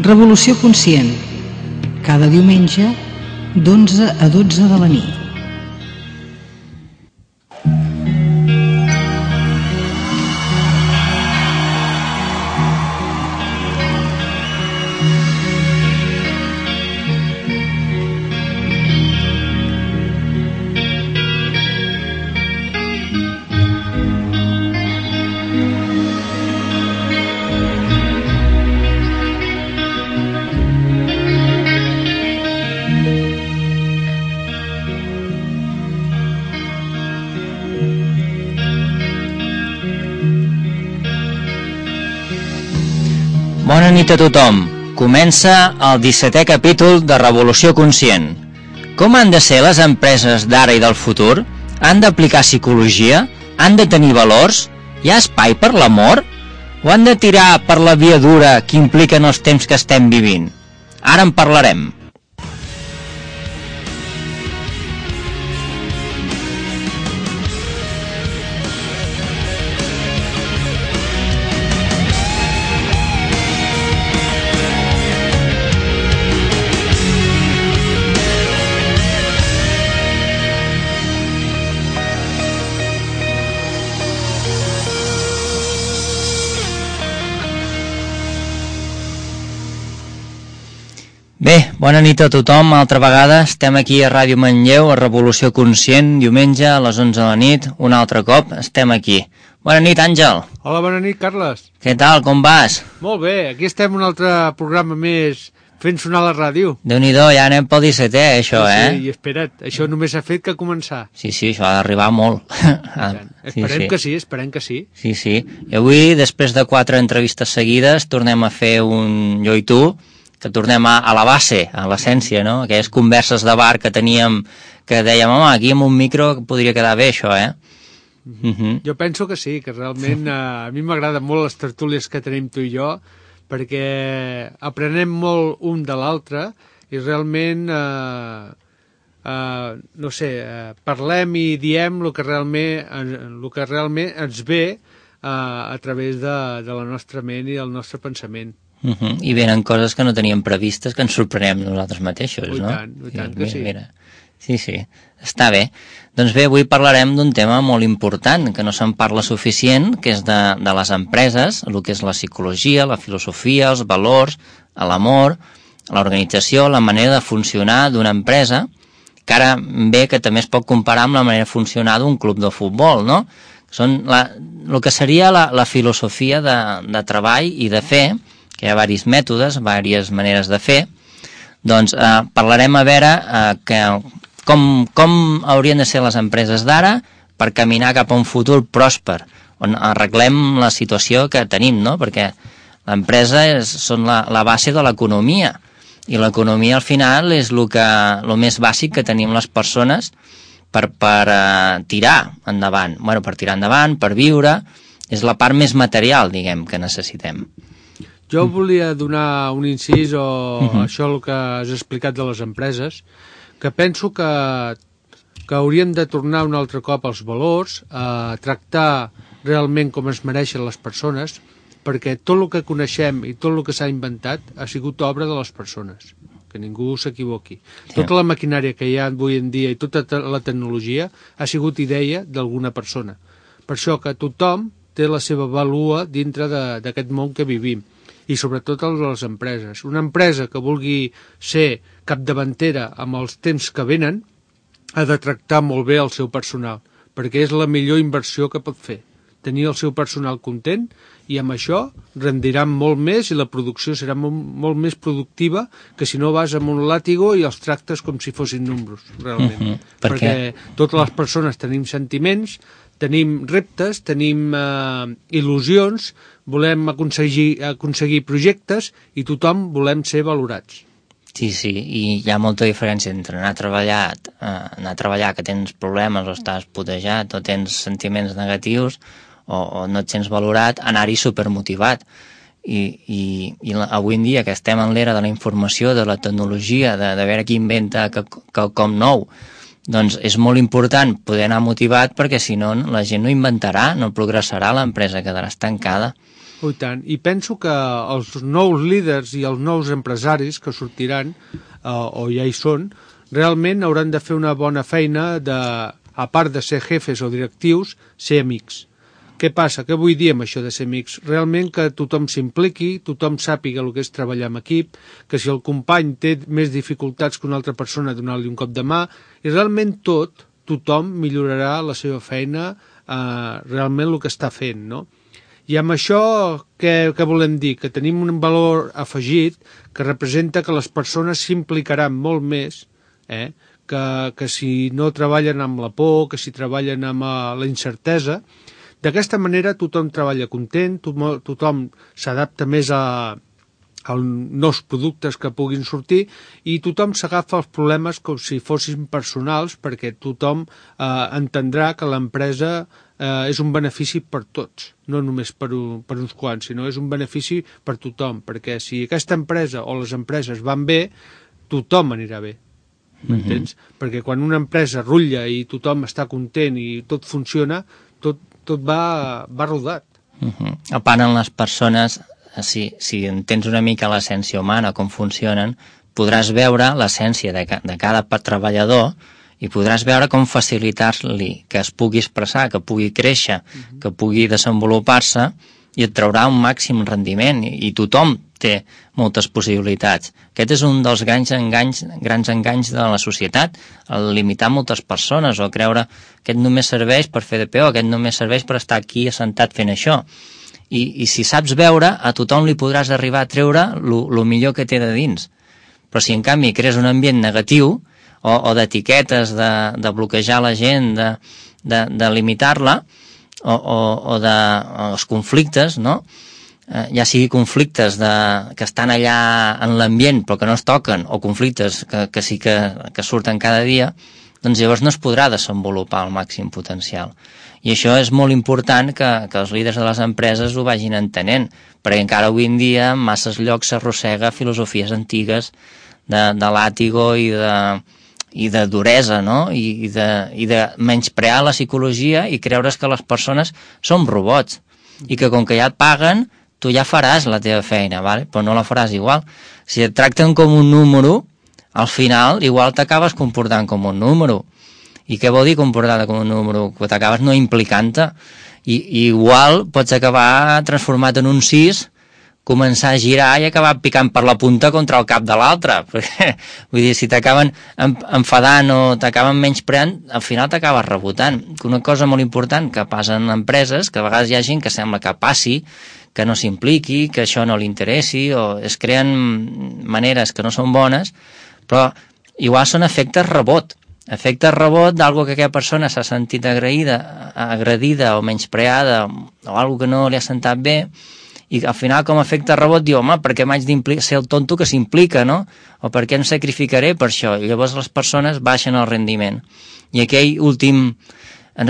Revolució Conscient, cada diumenge d'11 a 12 de la nit. Bona nit a tothom. Comença el 17è capítol de Revolució Conscient. Com han de ser les empreses d'ara i del futur? Han d'aplicar psicologia? Han de tenir valors? Hi ha espai per l'amor? O han de tirar per la via dura que impliquen els temps que estem vivint? Ara en parlarem. Bé, bona nit a tothom, altra vegada estem aquí a Ràdio Manlleu, a Revolució Conscient, diumenge a les 11 de la nit, un altre cop estem aquí. Bona nit, Àngel. Hola, bona nit, Carles. Què tal, com vas? Molt bé, aquí estem un altre programa més fent sonar la ràdio. Déu-n'hi-do, ja anem pel 17è, això, Sí, i espera't, això només ha fet que començar. Sí, això ha d'arribar molt. Esperem que sí, esperem que sí. Sí. I avui, després de 4 entrevistes seguides, tornem a fer un jo i tu, que tornem a la base, a l'essència, no? Aquelles converses de bar que teníem, que dèiem, home, aquí amb un micro podria quedar bé això, eh? Jo penso que sí, que realment a mi m'agraden molt les tertúlies que tenim tu i jo, perquè aprenem molt un de l'altre i realment, parlem i diem el que realment ens ve a través de la nostra ment i del nostre pensament. I venen coses que no teníem previstes, que ens sorprenem nosaltres mateixos, no? I tant que sí. Mira. Sí, està bé. Doncs bé, avui parlarem d'un tema molt important, que no se'n parla suficient, que és de les empreses, el que és la psicologia, la filosofia, els valors, l'amor, l'organització, la manera de funcionar d'una empresa, que ara ve que també es pot comparar amb la manera de funcionar d'un club de futbol, no? Són el que seria la filosofia de treball i de fer, que hi ha diversos mètodes, diverses maneres de fer. Doncs parlarem a veure com haurien de ser les empreses d'ara per caminar cap a un futur pròsper, on arreglem la situació que tenim, no? Perquè l'empresa són la base de l'economia, i l'economia al final és el més bàsic que tenim les persones per tirar endavant. Bueno, per tirar endavant, per viure, és la part més material, diguem, que necessitem. Jo volia donar un incís o això el que has explicat de les empreses, que penso que hauríem de tornar un altre cop als valors, a tractar realment com es mereixen les persones, perquè tot el que coneixem i tot el que s'ha inventat ha sigut obra de les persones, que ningú s'equivoqui. Sí. Tota la maquinària que hi ha avui en dia i tota la tecnologia ha sigut idea d'alguna persona. Per això que tothom té la seva vàlua dintre d'aquest món que vivim, i sobretot el de les empreses. Una empresa que vulgui ser capdavantera amb els temps que venen ha de tractar molt bé el seu personal, perquè és la millor inversió que pot fer. Tenir el seu personal content i amb això rendiran molt més i la producció serà molt més productiva que si no vas amb un làtigo i els tractes com si fossin números, realment. Perquè totes les persones tenim sentiments, tenim reptes, tenim il·lusions, volem aconseguir projectes i tothom volem ser valorats. Sí, i hi ha molta diferència entre anar a treballar que tens problemes o estàs putejat o tens sentiments negatius o no et sents valorat, anar-hi supermotivat. I avui en dia que estem en l'era de la informació, de la tecnologia, de veure qui inventa quelcom nou, doncs és molt important poder anar motivat, perquè si no la gent no inventarà, no progressarà, l'empresa quedarà estancada. Oh, i tant. I penso que els nous líders i els nous empresaris que sortiran, o ja hi són, realment hauran de fer una bona feina de, a part de ser jefes o directius, ser amics. Què passa? Què vull dir amb això de ser amics? Realment que tothom s'impliqui, tothom sàpiga el que és treballar en equip, que si el company té més dificultats que una altra persona, donar-li un cop de mà, i realment tothom millorarà la seva feina, realment el que està fent, no? I amb això què volem dir? Que tenim un valor afegit que representa que les persones s'implicaran molt més, que si no treballen amb la por, que si treballen amb la incertesa. D'aquesta manera tothom treballa content, tothom s'adapta més a nous productes que puguin sortir i tothom s'agafa els problemes com si fossin personals perquè tothom entendrà que l'empresa és un benefici per tots, no només per uns quants, sinó és un benefici per tothom, perquè si aquesta empresa o les empreses van bé, tothom anirà bé. M'entens? Perquè quan una empresa rutlla i tothom està content i tot funciona, tot va rodat. A part, en les persones, si entens una mica l'essència humana, com funcionen, podràs veure l'essència de cada treballador i podràs veure com facilitar-li que es pugui expressar, que pugui créixer, que pugui desenvolupar-se i et traurà un màxim rendiment i tothom té moltes possibilitats. Aquest és un dels grans enganys de la societat, el limitar moltes persones o creure que aquest només serveix per fer de peó, aquest només serveix per estar aquí assentat fent això. I si saps veure, a tothom li podràs arribar a treure el millor que té de dins. Però si en canvi crees un ambient negatiu o d'etiquetes, de bloquejar la gent, de limitar-la, o dels conflictes, no? Ja sigui conflictes que estan allà en l'ambient però que no es toquen, o conflictes que sí que surten cada dia, doncs llavors no es podrà desenvolupar al màxim potencial. I això és molt important que els líders de les empreses ho vagin entenent, perquè encara avui en dia en masses llocs s'arrossega filosofies antigues de làtigo i de duresa, no? I de menysprear la psicologia i creure's que les persones són robots i que com que ja et paguen tu ja faràs la teva feina, ¿vale? Però no la faràs igual. Si et tracten com un número, al final igual t'acabes comportant com un número. I què vol dir comportar-te com un número? Que t'acabes no implicant-te. I igual pots acabar transformat en un 6, començar a girar i acabar picant per la punta contra el cap de l'altre. Vull dir, si t'acaben enfadant o t'acaben menyspreant, al final t'acabes rebotant. Una cosa molt important que passa en empreses, que a vegades hi ha gent que sembla que passi, que no s'impliqui, que això no li interessi, o es creen maneres que no són bones, però igual són efectes rebot d'algo que aquella persona s'ha sentit agredida o menyspreada o algo que no li ha sentat bé, i al final com a efecte rebot diu, home, per què m'haig de ser el tonto que s'implica, no? O per què em sacrificaré per això? I llavors les persones baixen el rendiment. I aquell últim,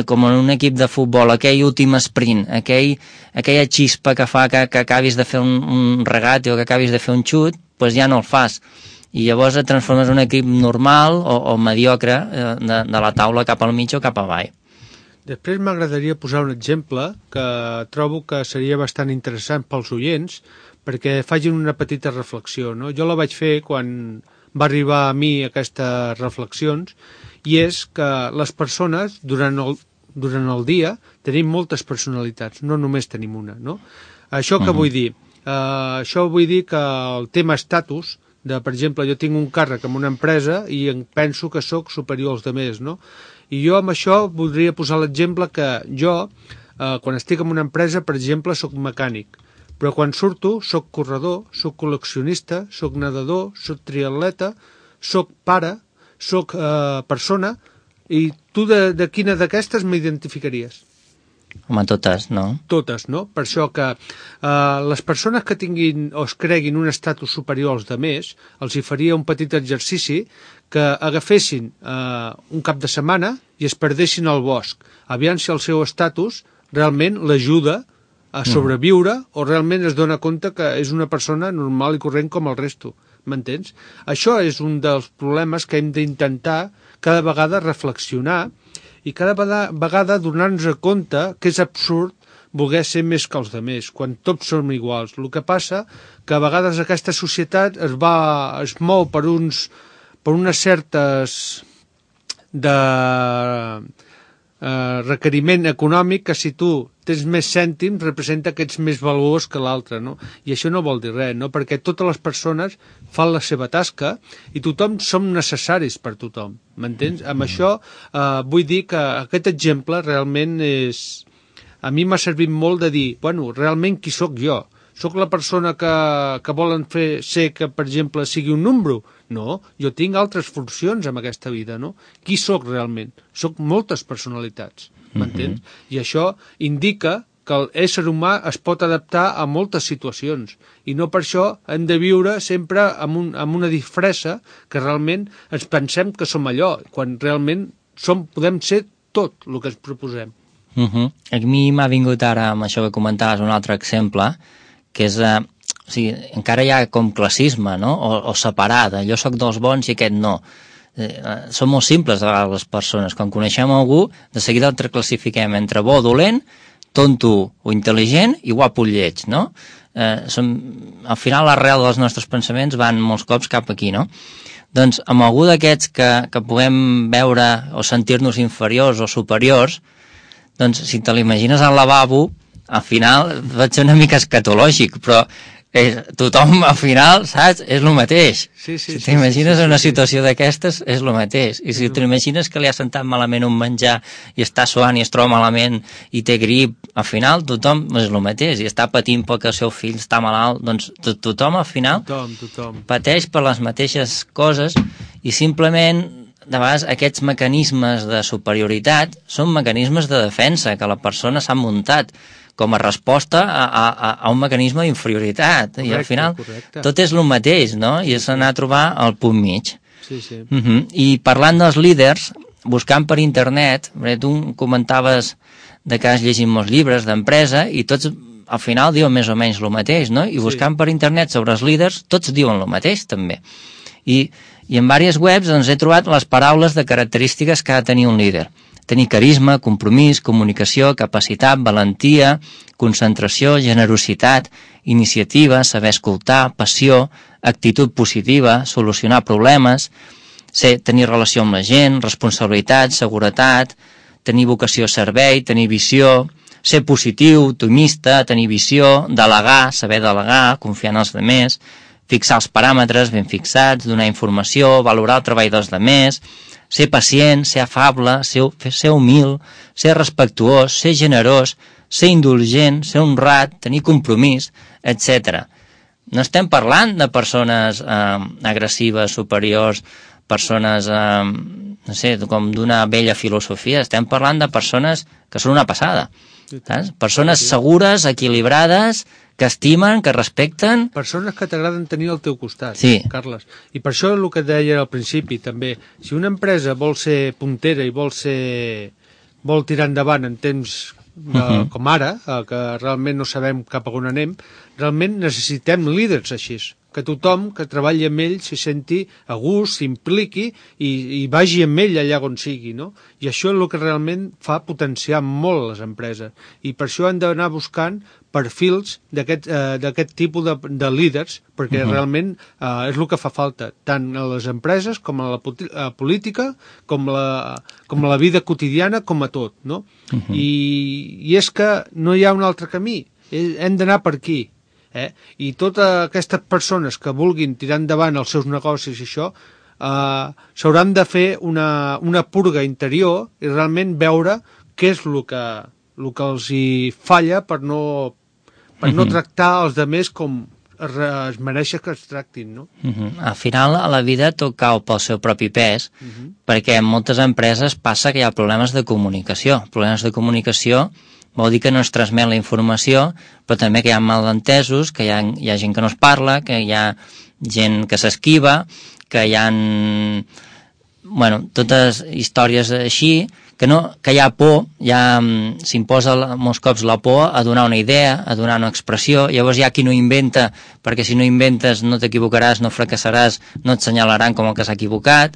com en un equip de futbol, aquell últim sprint, aquella xispa que fa que acabis de fer un regate o que acabis de fer un xut, doncs ja no el fas. I llavors et transformes en un equip normal o mediocre de la taula cap al mig o cap avall. Després m'agradaria posar un exemple que trobo que seria bastant interessant pels oients perquè facin una petita reflexió, no? Jo la vaig fer quan va arribar a mi aquestes reflexions i és que les persones durant el dia tenim moltes personalitats, no només tenim una, no? Això què vull dir? Això vull dir que el tema estatus, per exemple, jo tinc un càrrec en una empresa i penso que sóc superior als altres, no? I jo amb això voldria posar l'exemple que jo, quan estic en una empresa, per exemple, sóc mecànic, però quan surto sóc corredor, sóc col·leccionista, sóc nedador, sóc triatleta, sóc pare, sóc persona, i tu de quina d'aquestes m'identificaries? Home, totes, no? Totes, no? Per això que les persones que tinguin o es creguin un estatus superior als altres, els hi faria un petit exercici que agafessin un cap de setmana i es perdessin al bosc. Aviam si el seu estatus realment l'ajuda a sobreviure o realment es dona compte que és una persona normal i corrent com el resto. M'entens? Això és un dels problemes que hem d'intentar cada vegada reflexionar i cada vegada donar-nos compte que és absurd voler ser més que els altres, quan tots som iguals. El que passa que a vegades aquesta societat es mou per unes certes de requeriment econòmic que si tu tens més cèntims representa que ets més valuós que l'altre, no? I això no vol dir res, no? Perquè totes les persones fan la seva tasca i tothom som necessaris per tothom, m'entens? Amb això vull dir que aquest exemple realment a mi m'ha servit molt de dir, bueno, realment qui sóc jo? Sóc la persona que volen ser que, per exemple, sigui un número? No, jo tinc altres funcions en aquesta vida, no? Qui sóc realment? Sóc moltes personalitats, m'entens? I això indica que l'ésser humà es pot adaptar a moltes situacions i no per això hem de viure sempre amb una disfressa que realment ens pensem que som allò, quan realment podem ser tot el que ens proposem. A mi m'ha vingut ara, amb això que comentaves, un altre exemple, que és, o sigui, encara hi ha com classisme, no? O separada, jo sóc dels bons i aquest no. Són molt simples a vegades les persones, quan coneixem algú, de seguida el classifiquem entre bo o dolent, tonto o intel·ligent i guapo o lleig, no? Al final l'arrel dels nostres pensaments van molts cops cap aquí, no? Doncs amb algú d'aquests que puguem veure o sentir-nos inferiors o superiors, doncs si te l'imagines al lavabo, al final pot ser una mica escatològic, però tothom al final, saps, és el mateix. Si t'imagines una situació d'aquestes, és el mateix. I si t'imagines que li ha sentat malament un menjar i està suant i es troba malament i té grip, al final tothom és el mateix. I està patint perquè el seu fill està malalt, doncs tothom al final pateix per les mateixes coses i simplement de vegades aquests mecanismes de superioritat són mecanismes de defensa que la persona s'ha muntat com a resposta a un mecanisme d'inferioritat. I al final tot és el mateix, no? I és anar a trobar el punt mig. I parlant dels líders, buscant per internet, tu comentaves que has llegit molts llibres d'empresa i tots al final diuen més o menys el mateix, no? I buscant per internet sobre els líders, tots diuen el mateix també. I en diverses webs he trobat les paraules de característiques que ha de tenir un líder. Tenir carisma, compromís, comunicació, capacitat, valentia, concentració, generositat, iniciativa, saber escoltar, passió, actitud positiva, solucionar problemes, tenir relació amb la gent, responsabilitat, seguretat, tenir vocació a servei, tenir visió, ser positiu, optimista, tenir visió, delegar, saber delegar, confiar en els altres, fixar els paràmetres ben fixats, donar informació, valorar el treball dels altres, ser pacient, ser afable, ser humil, ser respectuós, ser generós, ser indulgent, ser honrat, tenir compromís, etc. No estem parlant de persones agressives, superiors, persones, no sé, com d'una vella filosofia, estem parlant de persones que són una passada. Saps? Persones segures, equilibrades, que estimen, que respecten... Persones que t'agraden tenir al teu costat, Carles. I per això el que deia al principi, també, si una empresa vol ser puntera i vol tirar endavant en temps com ara, que realment no sabem cap a on anem, realment necessitem líders així, que tothom que treballi amb ell s'hi senti a gust, s'impliqui i vagi amb ell allà on sigui, no? I això és el que realment fa potenciar molt les empreses. I per això hem d'anar buscant perfils d'aquest tipus de líders, perquè realment és el que fa falta, tant a les empreses com a la política, com a la vida quotidiana, com a tot, no? I és que no hi ha un altre camí, hem d'anar per aquí. I totes aquestes persones que vulguin tirar endavant els seus negocis i això s'hauran de fer una purga interior i realment veure què és el que els hi falla per no tractar els altres com es mereix que es tractin, no? Al final, a la vida tot cau pel seu propi pes, perquè en moltes empreses passa que hi ha problemes de comunicació. Problemes de comunicació vol dir que no es transmet la informació, però també que hi ha malentesos, que hi ha gent que no es parla, que hi ha gent que s'esquiva, que hi ha totes històries així, que hi ha por, s'imposa molts cops la por a donar una idea, a donar una expressió, llavors hi ha qui no inventa, perquè si no inventes no t'equivocaràs, no fracassaràs, no et senyalaran com el que s'ha equivocat.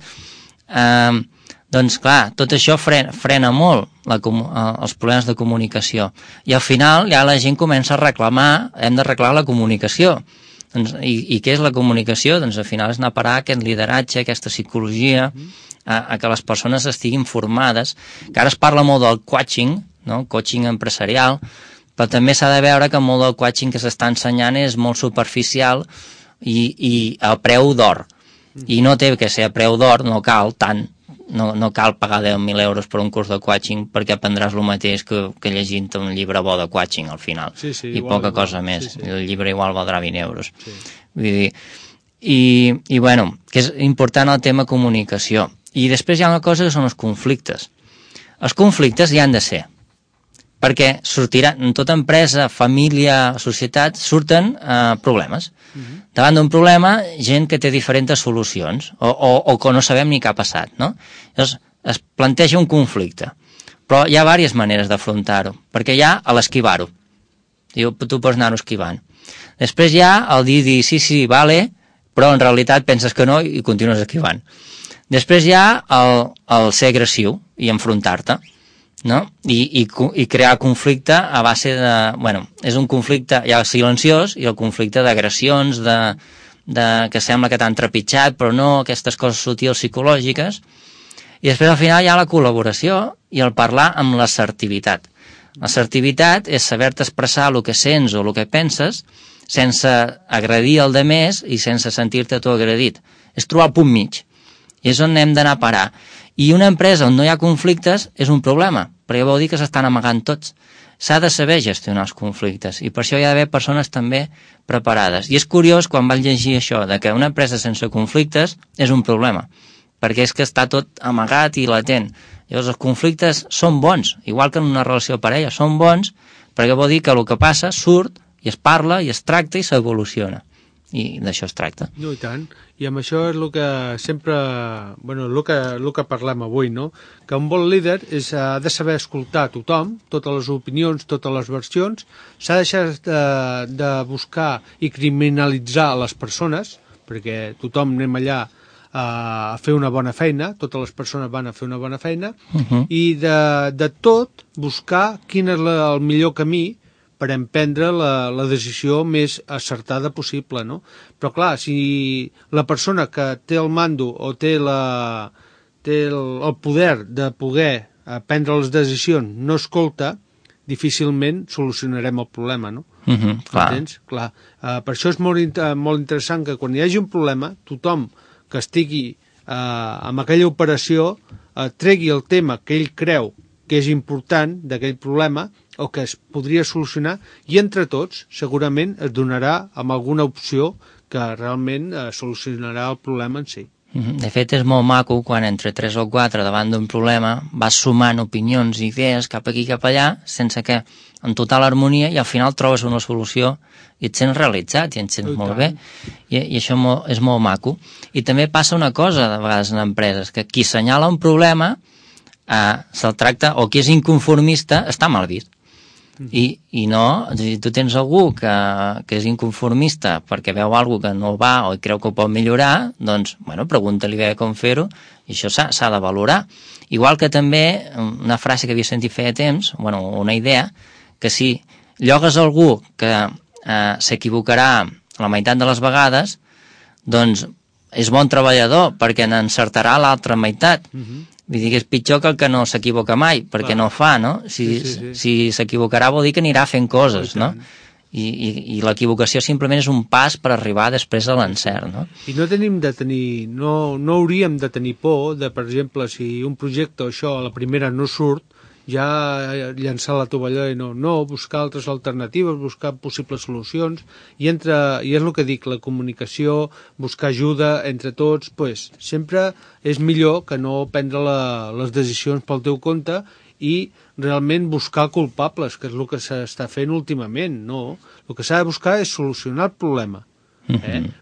Doncs clar, tot això frena molt els problemes de comunicació. I al final ja la gent comença a reclamar, hem d'arreglar la comunicació. Doncs, i què és la comunicació? Doncs al final és anar a parar aquest lideratge, aquesta psicologia, a que les persones estiguin formades, que ara es parla molt del coaching, no? Coaching empresarial, però també s'ha de veure que molt del coaching que s'està ensenyant és molt superficial i a preu d'or. I no té que ser a preu d'or, no cal tant, no cal pagar 10.000 euros per un curs de coaching perquè aprendràs el mateix que llegint un llibre bo de coaching al final. Sí, i poca cosa més. Sí. El llibre igual valdrà 20 euros. Sí. Vull dir, i bueno, que és important el tema comunicació. I després hi ha una cosa que són els conflictes. Els conflictes hi han de ser, perquè sortiran, en tota empresa, família, societat, surten problemes. Davant d'un problema, gent que té diferents solucions, o que no sabem ni què ha passat, no? Llavors, es planteja un conflicte, però hi ha diverses maneres d'afrontar-ho, perquè hi ha l'esquivar-ho. Tu pots anar-ho esquivant. Després hi ha el dir, sí, vale, però en realitat penses que no i continues esquivant. Després hi ha el ser agressiu i enfrontar-te, no? I crear conflicte a base de... Bueno, és un conflicte ja silenciós i el conflicte d'agressions, que sembla que t'han trepitjat, però no, aquestes coses sutils psicològiques. I després al final hi ha la col·laboració i el parlar amb l'assertivitat. L'assertivitat és saber-te expressar el que sents o el que penses sense agredir el demés i sense sentir-te tu agredit. És trobar el punt mig. I és on hem d'anar a parar. I una empresa on no hi ha conflictes és un problema, perquè vol dir que s'estan amagant tots. S'ha de saber gestionar els conflictes i per això hi ha d'haver persones també preparades. I és curiós quan vaig llegir això, de que una empresa sense conflictes és un problema, perquè és que està tot amagat i latent. Llavors els conflictes són bons, igual que en una relació de parella, són bons perquè vol dir que el que passa surt i es parla i es tracta i s'evoluciona. I d'això es tracta. No, i tant. I amb això és el que sempre... Bueno, el que parlem avui, no? Que un bon líder ha de saber escoltar tothom, totes les opinions, totes les versions, s'ha deixat de buscar i criminalitzar les persones, perquè tothom anem allà a fer una bona feina, totes les persones van a fer una bona feina, i de tot buscar quin és el millor camí per emprendre la decisió més acertada possible, no? Però clar, si la persona que té el mando o té el poder de poder prendre les decisions no escolta, difícilment solucionarem el problema, no? Clar. Entens? Clar. Per això és molt interessant que quan hi hagi un problema, tothom que estigui amb aquella operació tregui el tema que ell creu que és important d'aquell problema o que es podria solucionar i entre tots segurament es donarà amb alguna opció que realment solucionarà el problema en si. De fet, és molt maco quan entre 3 o 4 davant d'un problema vas sumant opinions i idees cap aquí cap allà sense que en total harmonia i al final trobes una solució i et sents realitzat i et sents molt bé i això és molt maco. I també passa una cosa de vegades en empreses, que qui assenyala un problema se'l tracta, o qui és inconformista està mal vist. I no, si tu tens algú que és inconformista perquè veu alguna que no va o creu que ho pot millorar, doncs, bueno, pregunta-li bé com fer-ho i això s'ha de valorar. Igual que també una frase que havia sentit feia temps, bueno, una idea, que si llogues algú que s'equivocarà la meitat de les vegades, doncs és bon treballador perquè n'encertarà l'altra meitat. Vull dir que és pitjor que el que no s'equivoca mai, perquè no fa, no? Si s'equivocarà vol dir que anirà fent coses, no? I l'equivocació simplement és un pas per arribar després a l'encert, no? I no hauríem de tenir por de, per exemple, si un projecte o això a la primera no surt, ja llançar la tovallola i no, buscar altres alternatives, buscar possibles solucions, i és el que dic, la comunicació, buscar ajuda entre tots, pues, sempre és millor que no prendre les decisions pel teu compte i realment buscar culpables, que és el que s'està fent últimament, no? El que s'ha de buscar és solucionar el problema,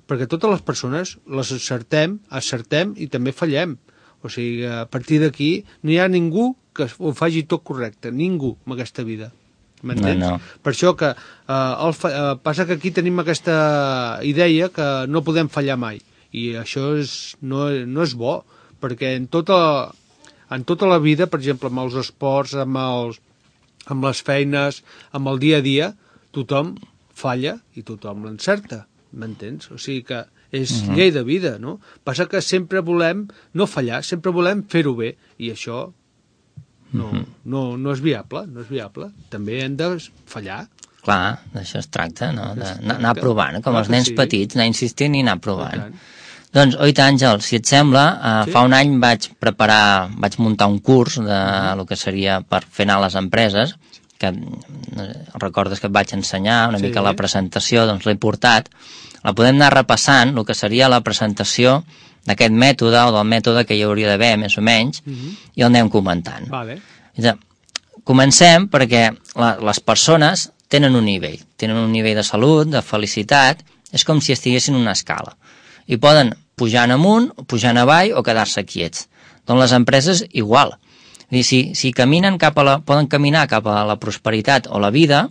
perquè totes les persones les acertem i també fallem. O sigui, a partir d'aquí no hi ha ningú que ho faci tot correcte, ningú en aquesta vida. M'entens? No. Per això que passa que aquí tenim aquesta idea que no podem fallar mai, i això no és bo, perquè en en tota la vida, per exemple, amb els esports, amb les feines, amb el dia a dia, tothom falla i tothom l'encerta, m'entens? O sigui que és llei de vida, no? Passa que sempre volem no fallar, sempre volem fer-ho bé, i això no és viable, no és viable. També hem de fallar. Clar, d'això es tracta, no? D'anar provant, com els nens petits, anar insistint i anar provant. Doncs, oita, Àngel, si et sembla, fa un any vaig muntar un curs de el que seria per fer anar a les empreses, que recordes que et vaig ensenyar una mica la presentació, doncs l'he portat. La podem anar repassant, el que seria la presentació d'aquest mètode o del mètode que hi hauria d'haver, més o menys, i el anem comentant. Vale. Comencem perquè les persones tenen un nivell de salut, de felicitat, és com si estiguessin en una escala. I poden pujar amunt, pujar avall o quedar-se quiets. Doncs les empreses igual. Si caminen poden caminar cap a la prosperitat o la vida,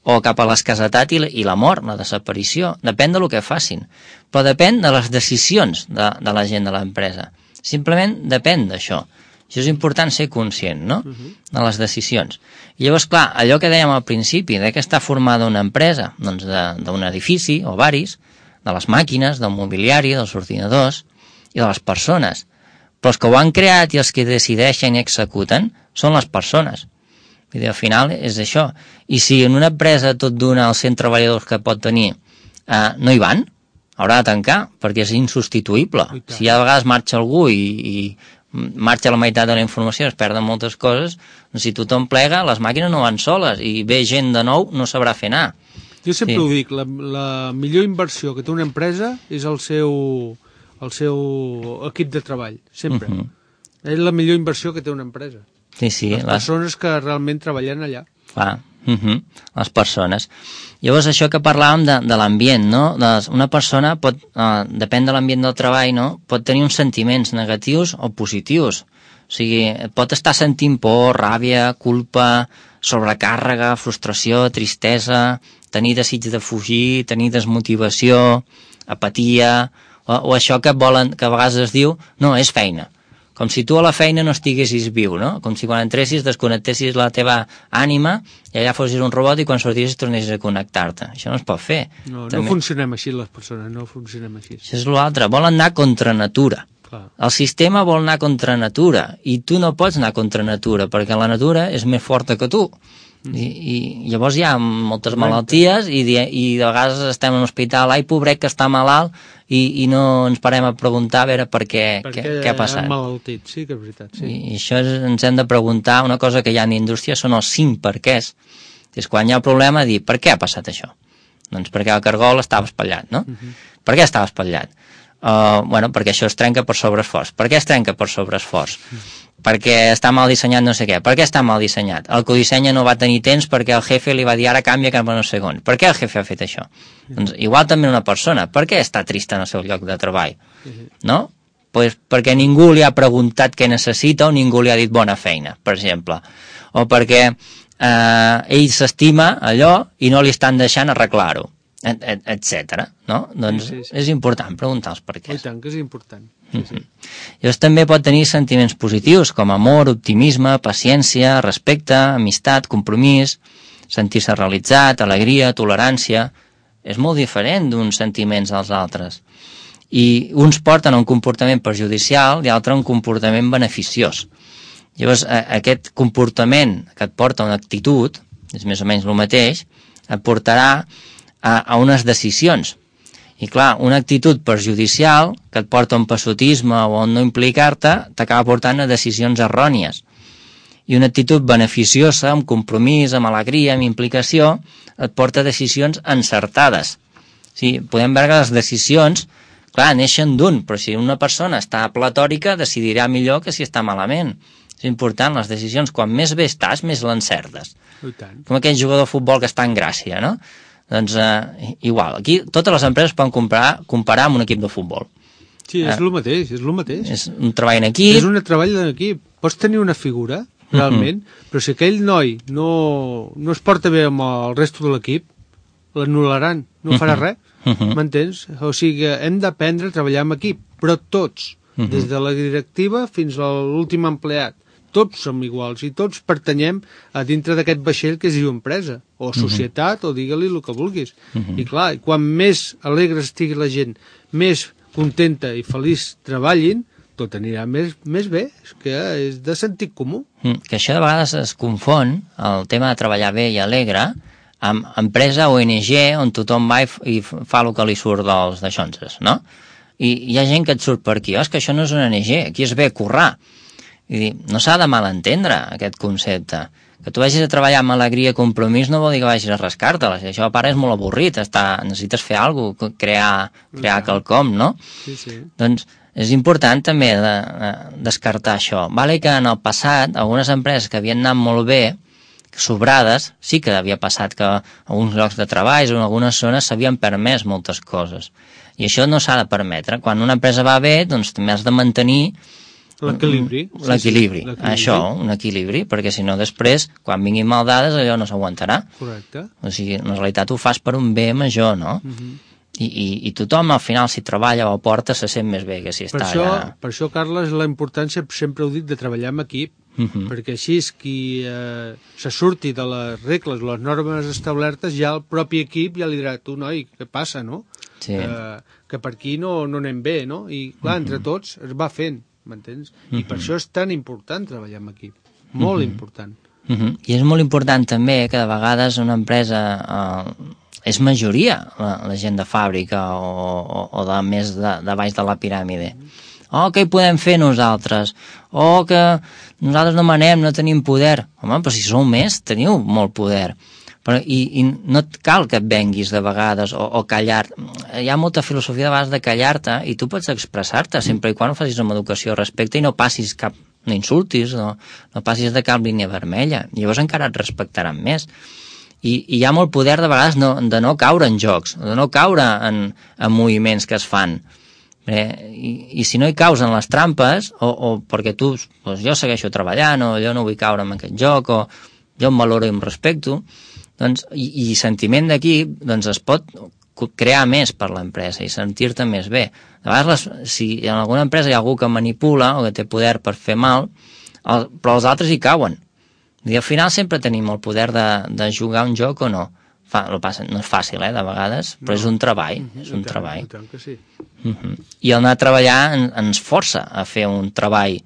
o cap a l'escassetat i la mort, la desaparició. Depèn del que facin. Però depèn de les decisions de la gent de l'empresa. Simplement depèn d'això. Això és important ser conscient, no?, de les decisions. I llavors, clar, allò que dèiem al principi, de què està formada una empresa? Doncs d'un edifici o varis, de les màquines, del mobiliari, dels ordinadors i de les persones. Però els que ho han creat i els que decideixen i executen són les persones. Vull dir, al final és això. I si en una empresa tot d'una els 100 treballadors que pot tenir no hi van, haurà de tancar, perquè és insubstituïble. Si ja a vegades marxa algú i marxa la meitat de la informació, es perden moltes coses, si tothom plega, les màquines no van soles, i ve gent de nou, no sabrà fer anar. Jo sempre ho dic, la millor inversió que té una empresa és el seu equip de treball, sempre. És la millor inversió que té una empresa. Sí, les persones que realment treballen allà. Clar, les persones. Llavors, això que parlàvem de l'ambient, no? Una persona pot, depèn de l'ambient del treball, no?, pot tenir uns sentiments negatius o positius. O sigui, pot estar sentint por, ràbia, culpa, sobrecàrrega, frustració, tristesa, tenir desig de fugir, tenir desmotivació, apatia, o això que a vegades es diu, no, és feina. Com si tu a la feina no estiguessis viu, no? Com si quan entressis desconnectessis la teva ànima i allà fossis un robot i quan sortissis tornessis a connectar-te. Això no es pot fer. No funcionem així les persones, no funcionem així. Això és l'altre, volen anar contra natura. El sistema vol anar contra natura i tu no pots anar contra natura perquè la natura és més forta que tu. I llavors hi ha moltes malalties i de vegades estem en l'hospital, ai, pobret que està malalt, i no ens parem a preguntar a veure què ha passat. Perquè ha malaltit, sí que és veritat. Sí. I això ens hem de preguntar, una cosa que hi ha en indústria són els 5 perquès. És quan hi ha un problema dir, per què ha passat això? Doncs perquè el cargol estava espatllat, no? Per què estava espatllat? Perquè això es trenca per sobreesforç. Per què es trenca per sobreesforç? Perquè està mal dissenyat no sé què. Per què està mal dissenyat? El que ho dissenya no va tenir temps perquè el jefe li va dir ara canvia cap a no sé on. Per què el jefe ha fet això? Doncs igual també una persona. Per què està trista en el seu lloc de treball? No? Pues perquè ningú li ha preguntat què necessita o ningú li ha dit bona feina, per exemple. O perquè ell s'estima allò i no li estan deixant arreglar-ho, etc. No? Doncs és important preguntar els perquès. I tant que és important. Llavors també pot tenir sentiments positius com amor, optimisme, paciència, respecte, amistat, compromís, sentir-se realitzat, alegria, tolerància. És molt diferent d'uns sentiments als altres. I uns porten a un comportament perjudicial i altres a un comportament beneficiós. Llavors aquest comportament que et porta a una actitud, és més o menys el mateix, et portarà a unes decisions. I clar, una actitud perjudicial que et porta a un passotisme o a no implicar-te t'acaba portant a decisions errònies. I una actitud beneficiosa, amb compromís, amb alegria, amb implicació, et porta a decisions encertades. Sí, podem veure que les decisions, clar, neixen d'un, però si una persona està platòrica decidirà millor que si està malament. És important, les decisions, quan més bé estàs, més l'encertes. Com aquell jugador de futbol que està en gràcia, no? Doncs igual, aquí totes les empreses poden comparar amb un equip de futbol. Sí, és el mateix, és el mateix. És un treball en equip. És un treball en equip. Pots tenir una figura, realment, però si aquell noi no es porta bé amb el resto de l'equip, l'anul·laran, no farà res, m'entens? O sigui, hem d'aprendre a treballar en equip, però tots. des de la directiva fins a l'últim empleat. Tots som iguals i tots pertanyem a dintre d'aquest vaixell que es diu empresa, o societat, o digue-li el que vulguis. I clar, quan més alegre estigui la gent, més contenta i feliç treballin, tot anirà més bé, és que és de sentit comú. Que això de vegades es confon, el tema de treballar bé i alegre, amb empresa ONG on tothom va i fa el que li surt dels daixonses, no? I hi ha gent que et surt per aquí, és que això no és una ONG, aquí es ve a currar. I dir, no s'ha de malentendre aquest concepte. Que tu vagis a treballar amb alegria i compromís no vol dir que vagis a rascar-te-la. Això a part és molt avorrit, necessites fer alguna cosa, crear quelcom, no? Sí. Doncs és important també descartar això. Vale que en el passat algunes empreses que havien anat molt bé, sobrades, sí que havia passat que a alguns llocs de treball o en algunes zones s'havien permès moltes coses. I això no s'ha de permetre. Quan una empresa va bé, doncs també has de mantenir l'equilibri. L'equilibri, això, un equilibri, perquè si no després, quan vinguin mal dades, allò no s'aguantarà. Correcte. O sigui, en realitat ho fas per un bé major, no? I tothom al final, si treballa o aporta, se sent més bé que si està allà. Per això, Carles, la importància, sempre ho dic, de treballar en equip, perquè així és qui se surti de les regles, les normes establertes, ja el propi equip ja li dirà, tu, noi, què passa, no? Sí. Que per aquí no anem bé, no? I, clar, entre tots es va fent, m'entens? I per això és tan important treballar en equip, molt important. I és molt important també que de vegades una empresa és majoria la gent de fàbrica o de més de baix de la piràmide. Què hi podem fer nosaltres? Que nosaltres no manem, no tenim poder. Home, però si sou més, teniu molt poder. I no et cal que et venguis de vegades o callar. Hi ha molta filosofia de vegades de callar-te i tu pots expressar-te sempre i quan ho facis amb educació i respecte i no passis no insultis, no passis de cap línia vermella. Llavors encara et respectaran més. I hi ha molt poder de vegades de no caure en jocs, de no caure en moviments que es fan. I si no hi caus en les trampes o perquè tu, doncs jo segueixo treballant o jo no vull caure en aquest joc o jo em valoro i em respecto, doncs, i sentiment d'equip, doncs es pot crear més per l'empresa i sentir-te més bé. De vegades, si en alguna empresa hi ha algú que manipula o que té poder per fer mal, però els altres hi cauen. I al final sempre tenim el poder de jugar un joc o no. No és fàcil, de vegades, però és un treball. És un treball. I tant que sí. I el anar a treballar ens força a fer un treball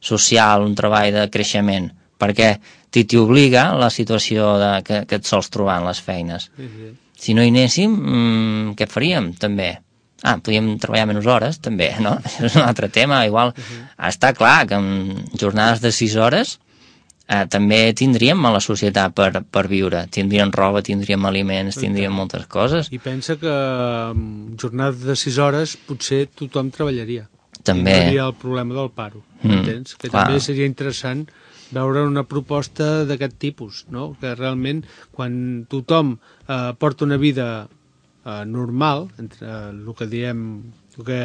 social, un treball de creixement, perquè t'hi obliga la situació que et sols trobar en les feines. Si no hi anéssim, què faríem, també? Podríem treballar menys hores, també, no? Això és un altre tema. Igual, està clar que en jornades de 6 hores també tindríem a la societat per viure. Tindríem roba, tindríem aliments, tindríem moltes coses. I pensa que en jornades de 6 hores potser tothom treballaria. També. I no hi ha el problema del paro, entens? Que també seria interessant veure una proposta d'aquest tipus, no? Que realment quan tothom porta una vida normal, entre el que diem, el que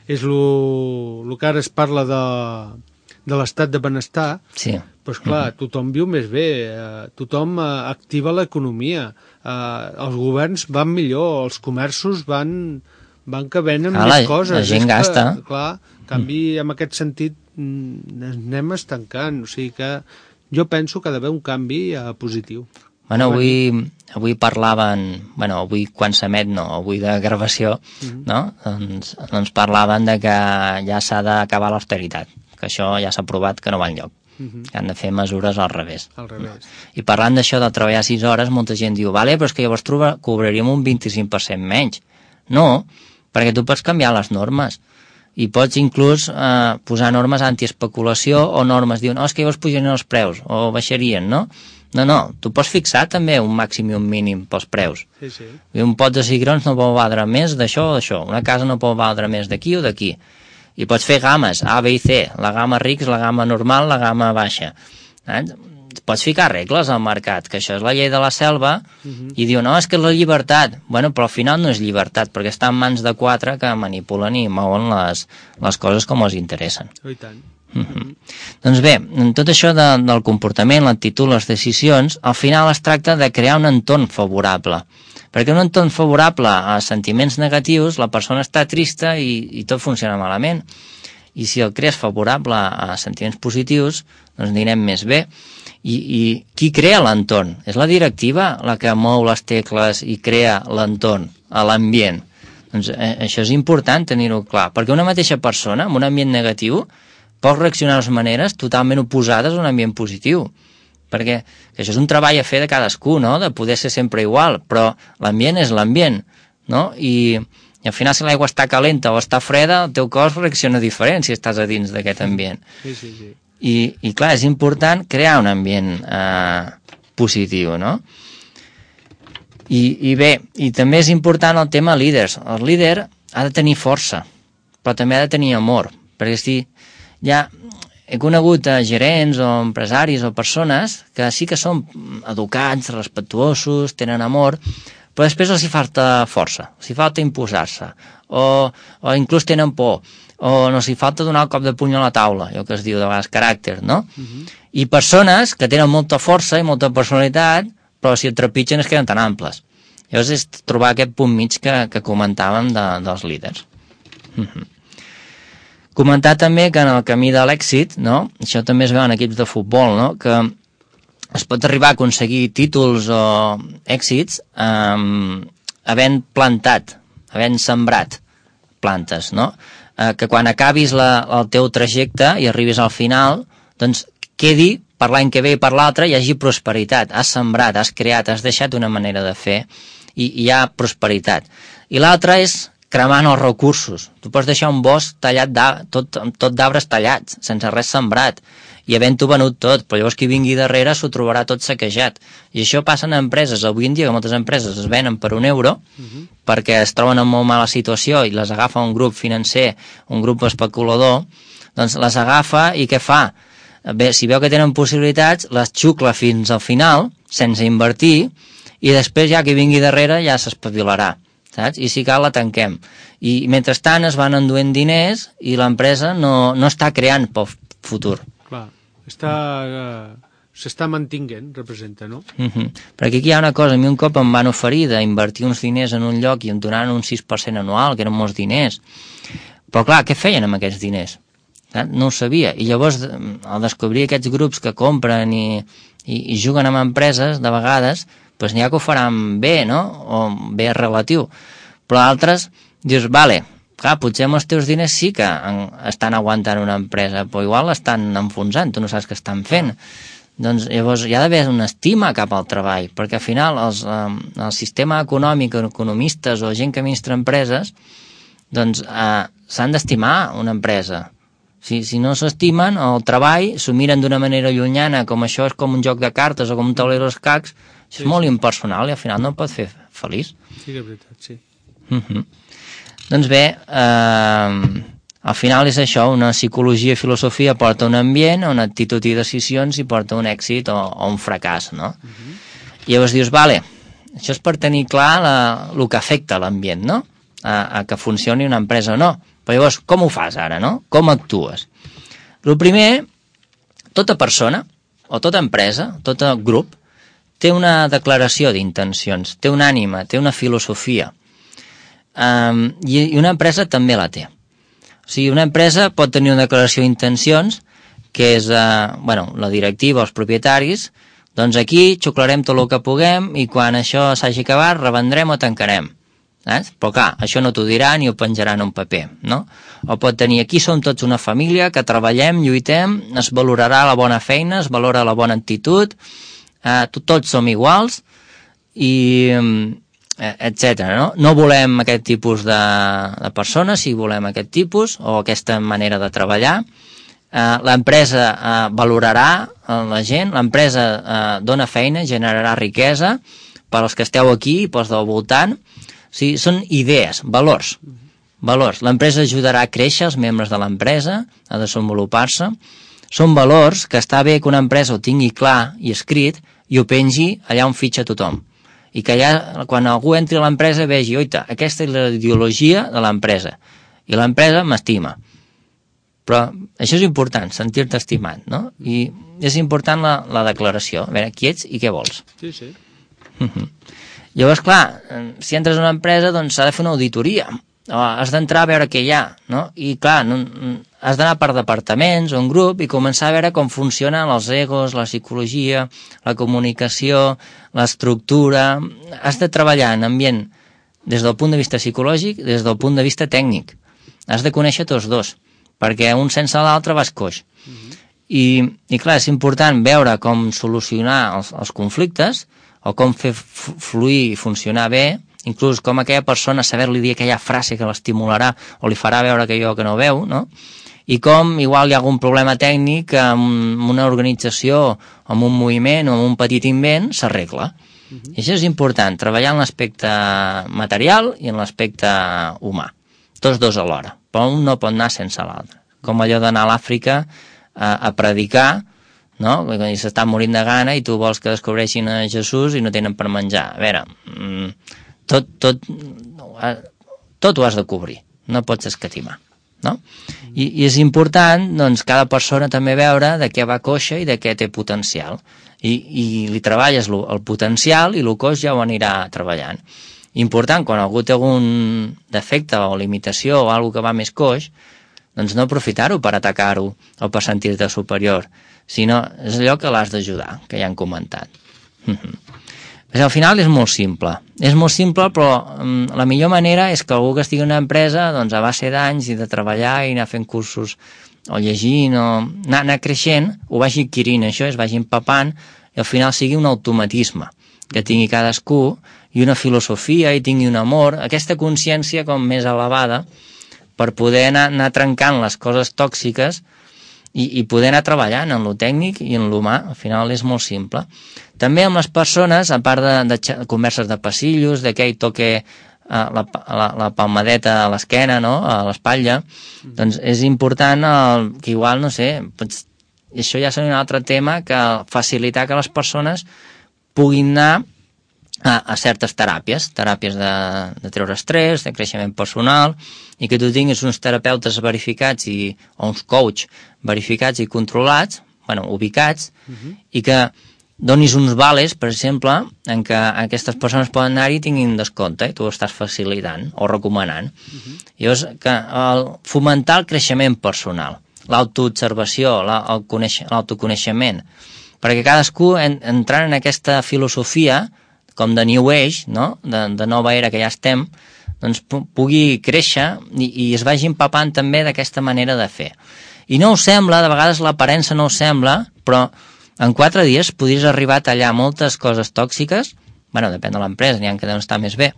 és el que ara es parla de l'estat de benestar, sí. Doncs clar, tothom viu més bé, tothom activa l'economia, els governs van millor, els comerços van que venen més coses. La gent gasta. Clar, en canvi, en aquest sentit, anem estancant, o sigui que jo penso que ha d'haver un canvi positiu. Bueno, avui parlaven, avui quan s'emet, avui de gravació, no? Doncs parlaven de que ja s'ha d'acabar l'austeritat, que això ja s'ha aprovat que no va enlloc, que han de fer mesures al revés. I parlant d'això de treballar 6 hores, molta gent diu, vale, però és que llavors cobraríem un 25% menys. No, perquè tu pots canviar les normes i pots inclús posar normes antiespeculació o normes, diuen, és que llavors pujarien els preus o baixarien, no? No, tu pots fixar també un màxim i un mínim pels preus. Sí. Un pot de cigrons no pot valdre més d'això o d'això, una casa no pot valdre més d'aquí o d'aquí. I pots fer games, A, B i C, la gamma rics, la gamma normal, la gamma baixa. Pots ficar regles al mercat, que això és la llei de la selva, i diu, no, és que és la llibertat. Bueno, però al final no és llibertat, perquè està en mans de 4 que manipulen i mouen les coses com els interessen. I tant. Doncs bé, en tot això del comportament, l'actitud, les decisions, al final es tracta de crear un entorn favorable. Perquè un entorn favorable a sentiments negatius, la persona està trista i tot funciona malament. i si el crees favorable a sentiments positius, doncs anirem més bé. I qui crea l'entorn? És la directiva la que mou les tecles i crea l'entorn, l'ambient. Doncs això és important tenir-ho clar, perquè una mateixa persona amb un ambient negatiu pot reaccionar de maneres totalment oposades a un ambient positiu, perquè això és un treball a fer de cadascú, no? De poder ser sempre igual, però l'ambient és l'ambient, no? I al final, si l'aigua està calenta o està freda, el teu cos reacciona diferent si estàs a dins d'aquest ambient. Sí. I clar, és important crear un ambient positiu, no? I bé, i també és important el tema líders. El líder ha de tenir força, però també ha de tenir amor, perquè si ja he conegut gerents o empresaris o persones que sí que són educats, respectuosos, tenen amor, però després els hi falta força, els hi falta imposar-se, o inclús tenen por, o no s'hi falta donar el cop de puny a la taula, allò que es diu de vegades caràcter, no? I persones que tenen molta força i molta personalitat, però si et trepitgen es queden tan amples. Llavors és trobar aquest punt mig que comentàvem dels líders. Comentar també que en el camí de l'èxit, no? Això també es veu en equips de futbol, no? Que es pot arribar a aconseguir títols o èxits havent plantat, havent sembrat plantes, no? Que quan acabis el teu trajecte i arribis al final, doncs quedi per l'any que ve i per l'altre hi hagi prosperitat. Has sembrat, has creat, has deixat una manera de fer i hi ha prosperitat. I l'altre és cremant els recursos. Tu pots deixar un bosc tallat tot d'arbres tallats, sense res sembrat, i havent-ho venut tot, però llavors qui vingui darrere s'ho trobarà tot saquejat. I això passa en empreses. Avui en dia que moltes empreses es venen per €1 perquè es troben en molt mala situació i les agafa un grup financer, un grup especulador, doncs les agafa i què fa? Bé, si veu que tenen possibilitats, les xucla fins al final, sense invertir, i després ja qui vingui darrere ja s'espavilarà, saps? I si cal la tanquem. I mentrestant es van enduent diners i l'empresa no està creant pel futur. Clar, s'està mantinguent, representa, no? Perquè aquí hi ha una cosa, a mi un cop em van oferir d'invertir uns diners en un lloc i em donaran un 6% anual, que eren molts diners. Però clar, què feien amb aquests diners? No ho sabia. I llavors, al descobrir aquests grups que compren i juguen amb empreses, de vegades, doncs n'hi ha que ho faran bé, no? O bé relatiu. Però altres, dius, vale, clar, potser amb els teus diners sí que estan aguantant una empresa, però igual l'estan enfonsant, tu no saps què estan fent. Doncs llavors hi ha d'haver una estima cap al treball, perquè al final el sistema econòmic, economistes o gent que administra empreses, doncs s'han d'estimar una empresa. Si no s'estimen, el treball s'ho miren d'una manera llunyana, com això és com un joc de cartes o com un tauler d'escacs, és molt impersonal i al final no et pot fer feliç. Sí que és veritat, sí. Doncs bé, al final és això, una psicologia i filosofia porta un ambient, una actitud i decisions i porta un èxit o un fracàs, no? I llavors dius, vale, això és per tenir clar el que afecta l'ambient, no? A que funcioni una empresa o no. Però llavors, com ho fas ara, no? Com actues? El primer, tota persona, o tota empresa, tot grup, té una declaració d'intencions, té una ànima, té una filosofia. I una empresa també la té. O sigui, una empresa pot tenir una declaració d'intencions, que és, la directiva, els propietaris, doncs aquí xuclarem tot el que puguem i quan això s'hagi acabat revendrem o tancarem. Però clar, això no t'ho diran i ho penjaran en un paper, no? O pot tenir, aquí som tots una família que treballem, lluitem, es valorarà la bona feina, es valora la bona actitud, tots som iguals i etc. No volem aquest tipus de persones, si volem aquest tipus o aquesta manera de treballar. L'empresa valorarà la gent, l'empresa dona feina, generarà riquesa per als que esteu aquí i pels del voltant. O sigui, són idees, valors. L'empresa ajudarà a créixer els membres de l'empresa, a desenvolupar-se. Són valors que està bé que una empresa ho tingui clar i escrit i ho pengi allà on fitxa tothom. I que allà, quan algú entri a l'empresa, vegi, oita, aquesta és la ideologia de l'empresa. I l'empresa m'estima. Però això és important, sentir-te estimat, no? I és important la declaració. A veure, qui ets i què vols. Sí. Llavors, clar, si entres en una empresa, doncs s'ha de fer una auditoria. has d'entrar a veure què hi ha, no? I clar, has d'anar per departaments o un grup i començar a veure com funcionen els egos, la psicologia, la comunicació, l'estructura. Has de treballar en ambient des del punt de vista psicològic i des del punt de vista tècnic. Has de conèixer tots dos, perquè un sense l'altre vas coix. I clar, és important veure com solucionar els conflictes o com fer fluir i funcionar bé, inclús com aquella persona saber-li dir aquella frase que l'estimularà o li farà veure aquello que no veu, no? I com igual hi ha algun problema tècnic amb una organització, amb un moviment o amb un petit invent, s'arregla. I això és important, treballar en l'aspecte material i en l'aspecte humà. Tots dos alhora, però un no pot anar sense l'altre. Com allò d'anar a l'Àfrica a predicar, no? I s'estan morint de gana i tu vols que descobreixin a Jesús i no tenen per menjar. A veure, tot ho has de cobrir, no pots escatimar, no? I és important, doncs, cada persona també veure de què va coixa i de què té potencial. I li treballes el potencial i el coix ja ho anirà treballant. Important, quan algú té algun defecte o limitació o alguna que va més coix, doncs no aprofitar-ho per atacar-ho o per sentir-te superior, sinó és allò que l'has d'ajudar, que ja han comentat. Al final és molt simple, però la millor manera és que algú que estigui en una empresa, doncs a base d'anys i de treballar i anar fent cursos o llegint o anar creixent, ho vagi adquirint això, es vagi empapant i al final sigui un automatisme que tingui cadascú i una filosofia i tingui un amor, aquesta consciència com més elevada per poder anar trencant les coses tòxiques i poder anar treballant en lo tècnic i en l'humà. Al final és molt simple. També amb les persones, a part de converses de passillos, de que hi toque la palmadeta a l'esquena, no? A l'espatlla, doncs és important que igual, no sé, això ja seria un altre tema, que facilitar que les persones puguin anar a certes teràpies de treure estrès, de creixement personal, i que tu tinguis uns terapeutes verificats o uns coach verificats i controlats, ubicats, i que donis uns vales, per exemple, en què aquestes persones poden anar-hi i tinguin descompte, i tu ho estàs facilitant o recomanant. Llavors, fomentar el creixement personal, l'autoobservació, l'autoconeixement, perquè cadascú, entrant en aquesta filosofia, com de New Age, no? De nova era que ja estem, doncs pugui créixer i es vagi empapant també d'aquesta manera de fer. I no us sembla, de vegades l'aparença no us sembla, però en 4 dies podries arribar a tallar moltes coses tòxiques, depèn de l'empresa, n'hi ha que deuen estar més bé,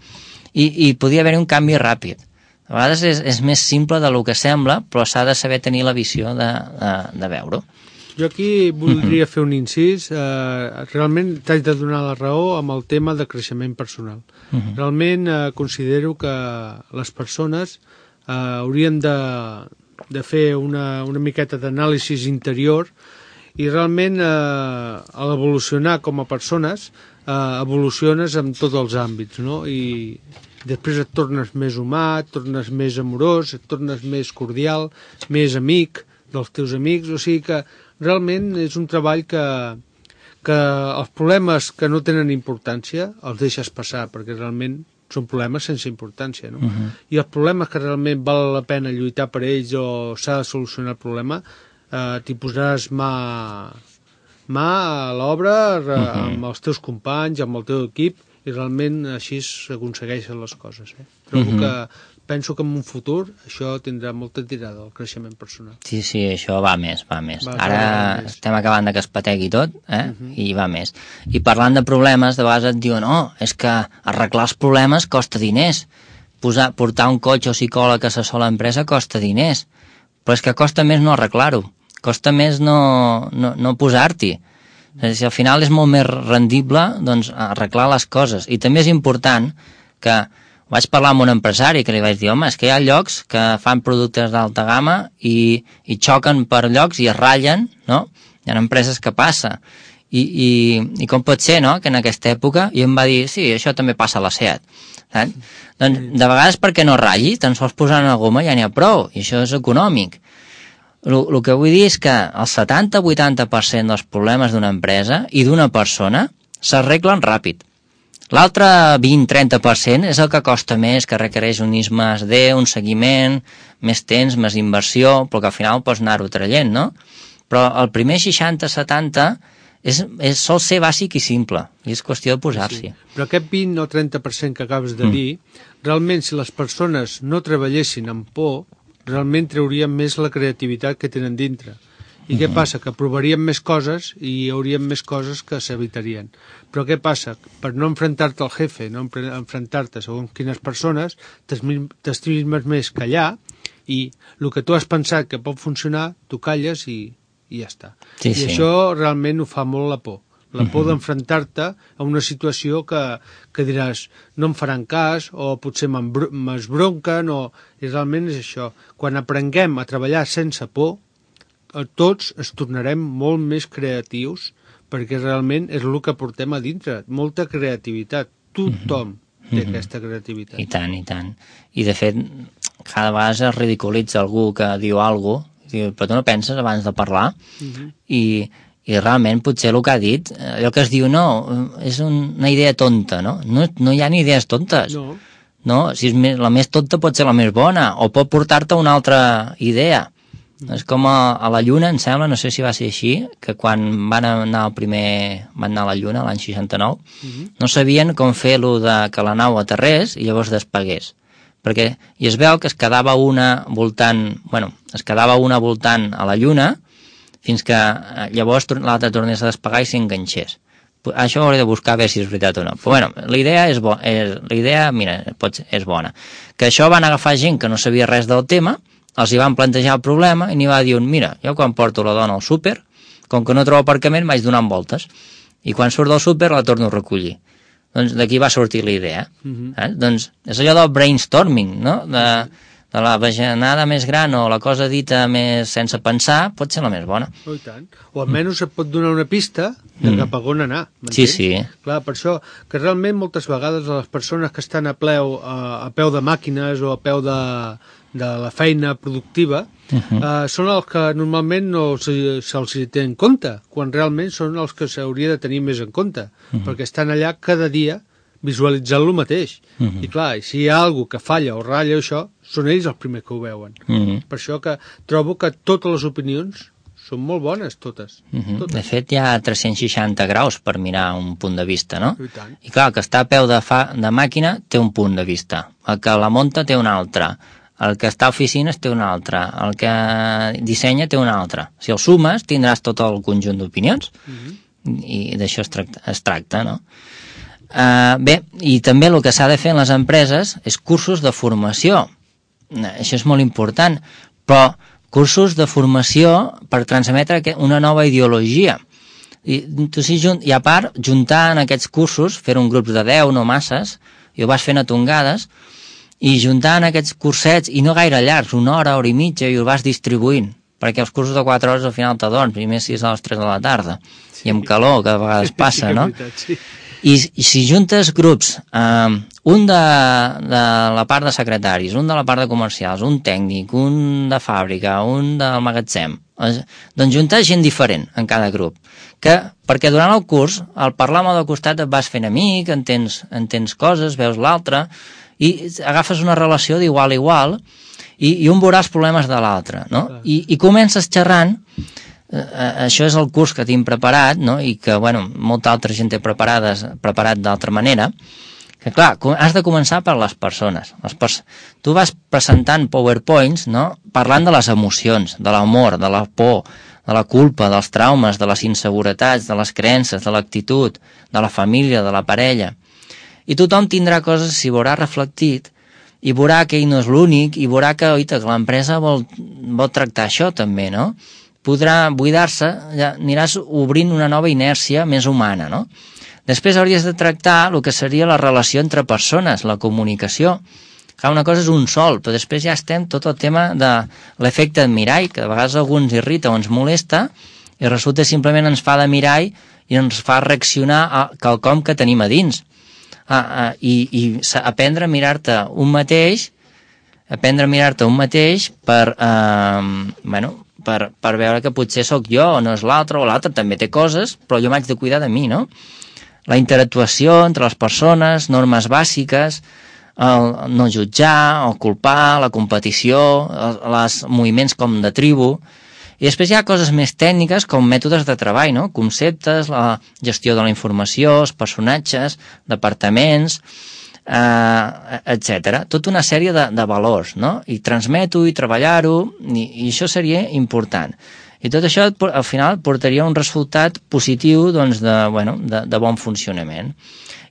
i podria haver-hi un canvi ràpid. A vegades és més simple del que sembla, però s'ha de saber tenir la visió de veure-ho. Jo aquí voldria fer un incís. Realment t'haig de donar la raó amb el tema de creixement personal. Realment considero que les persones haurien de fer una miqueta d'anàlisi interior i realment a l'evolucionar com a persones evoluciones en tots els àmbits, no? I després et tornes més humà, et tornes més amorós, et tornes més cordial, més amic dels teus amics, o sigui que realment és un treball que els problemes que no tenen importància els deixes passar, perquè realment són problemes sense importància, no? I els problemes que realment val la pena lluitar per ells o s'ha de solucionar el problema, t'hi posaràs mà a l'obra amb els teus companys, amb el teu equip, i realment així s'aconsegueixen les coses. Penso que en un futur això tindrà molta tirada, el creixement personal. Sí, això va més. Ara estem acabant de que es pategui tot, i va més. I parlant de problemes, de vegades et diuen és que arreglar els problemes costa diners. Portar un cotxe o psicòleg a assessor l'empresa costa diners. Però és que costa més no arreglar-ho. Costa més no posar-t'hi. Al final és molt més rendible arreglar les coses. I també és important que vaig parlar amb un empresari que li vaig dir, és que hi ha llocs que fan productes d'alta gamma i xoquen per llocs i es ratllen, no? Hi ha empreses que passa. I com pot ser, no?, que en aquesta època, i em va dir, sí, això també passa a la SEAT. Doncs, de vegades perquè no ratlli, tan sols posant una goma ja n'hi ha prou, i això és econòmic. El que vull dir és que el 70-80% dels problemes d'una empresa i d'una persona s'arreglen ràpid. L'altre 20-30% és el que costa més, que requereix un I+D, un seguiment, més temps, més inversió, però que al final pots anar-ho traient, no? Però el primer 60-70 sol ser bàsic i simple, i és qüestió de posar-s'hi. Sí. Però aquest 20 o 30% que acabes de dir, realment si les persones no treballessin amb por, realment traurien més la creativitat que tenen dintre. I què passa? Que provarien més coses i hi haurien més coses que s'evitarien. Però què passa? Per no enfrontar-te al jefe, no enfrontar-te segons quines persones, t'estimes més callar i el que tu has pensat que pot funcionar, tu calles i ja està. Sí, I això realment ho fa molt la por. La por d'enfrontar-te a una situació que diràs no em faran cas o potser m'esbronquen i realment és això. Quan aprenguem a treballar sense por, tots es tornarem molt més creatius perquè realment és el que portem a dintre, molta creativitat. Tothom té aquesta creativitat. I tant, i tant. I de fet, cada vegada es ridiculitza algú que diu alguna cosa, però tu no penses abans de parlar i realment potser el que ha dit, allò que es diu no, és una idea tonta, no? No hi ha ni idees tontes. No, si la més tonta pot ser la més bona o pot portar-te una altra idea. És com a la Lluna, em sembla, no sé si va ser així, que quan van anar a la Lluna l'any 69, no sabien com fer-lo que la nau aterrés i llavors despegués. I es veu que es quedava una voltant a la Lluna fins que llavors l'altra tornés a despegar i s'enganxés. Això ho hauré de buscar a veure si és veritat o no. Però bueno, la idea és bona. Que això van agafar gent que no sabia res del tema, els hi van plantejar el problema i n'hi va dir un, mira, jo quan porto la dona al súper, com que no trobo aparcament vaig donant voltes i quan surt del súper la torno a recollir. Doncs d'aquí va sortir la idea. Doncs és allò del brainstorming, no? De la bajanada més gran o la cosa dita més sense pensar pot ser la més bona. I tant. O almenys et pot donar una pista de cap a on anar. Sí, sí. Clar, per això que realment moltes vegades les persones que estan a peu de màquines o a peu de la feina productiva són els que normalment no se'ls té en compte, quan realment són els que s'hauria de tenir més en compte, perquè estan allà cada dia visualitzant lo mateix. I clar, si hi ha alguna que falla o ratlla això, són ells els primers que ho veuen. Per això que trobo que totes les opinions són molt bones, totes. De fet, hi ha 360 graus per mirar un punt de vista, no? I tant. I clar, el que està a peu de màquina té un punt de vista, el que la munta té un altre, el que està a oficines té un altre, el que dissenya té un altre. Si el sumes, tindràs tot el conjunt d'opinions i d'això es tracta, no? Bé, i també el que s'ha de fer en les empreses és cursos de formació. Això és molt important, però cursos de formació per transmetre una nova ideologia. I a part, juntar en aquests cursos, fer un grup de 10, no masses, i ho vas fent a tongades, i juntar en aquests cursets, i no gaire llargs, una hora i mitja, i ho vas distribuint, perquè els cursos de 4 hores al final t'adorms, primer si és a les 3 de la tarda, i amb calor, que a vegades passa, no? I si juntes grups, un de la part de secretaris, un de la part de comercials, un tècnic, un de fàbrica, un del magatzem, doncs juntar gent diferent en cada grup, perquè durant el curs, al parlar amb el del costat et vas fent amic, entens coses, veus l'altre, i agafes una relació d'igual a igual, i un veurà els problemes de l'altre, no? I comences xerrant. Això és el curs que tinc preparat, no? I que, bueno, molta altra gent té preparat d'altra manera, que clar, has de començar per les persones. Tu vas presentant PowerPoints, no? Parlant de les emocions, de l'amor, de la por, de la culpa, dels traumes, de les inseguretats, de les creences, de l'actitud, de la família, de la parella. I tothom tindrà coses, s'hi veurà reflectit, i veurà que ell no és l'únic, i veurà que l'empresa vol tractar això també, no? Podrà buidar-se, ja aniràs obrint una nova inèrcia més humana, no? Després hauries de tractar el que seria la relació entre persones, la comunicació. Clar, una cosa és un sol, però després ja estem tot el tema de l'efecte de mirall, que a vegades algú ens irrita o ens molesta, i resulta simplement ens fa de mirall i ens fa reaccionar a quelcom que tenim a dins. I aprendre a mirar-te un mateix per veure que potser sóc jo o no és l'altre, o l'altre també té coses, però jo m'haig de cuidar de mi, no? la interactuació entre les persones, normes bàsiques, el no jutjar, el culpar, la competició, els moviments com de tribu. I després hi ha coses més tècniques com mètodes de treball, no? Conceptes, la gestió de la informació, els personatges, departaments, etc. Tota una sèrie de valors, no? I transmeto i treballar-ho, i això seria important. I tot això al final portaria un resultat positiu doncs, de bon funcionament.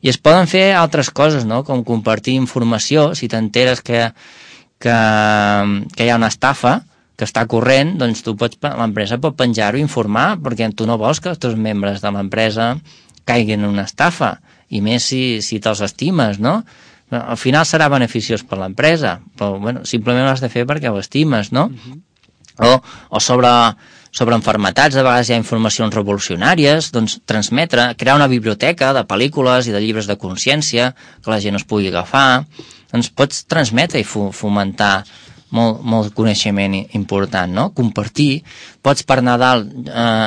I es poden fer altres coses, no? Com compartir informació, si t'enteres que hi ha una estafa que està corrent, doncs l'empresa pot penjar-ho i informar, perquè tu no vols que els teus membres de l'empresa caiguin en una estafa, i més si te'ls estimes, no? Al final serà beneficiós per l'empresa, però simplement ho has de fer perquè ho estimes, no? O sobre enfermetats, de vegades hi ha informacions revolucionàries, doncs transmetre, crear una biblioteca de pel·lícules i de llibres de consciència que la gent es pugui agafar, doncs pots transmetre i fomentar molt coneixement important, no? Compartir, pots per Nadal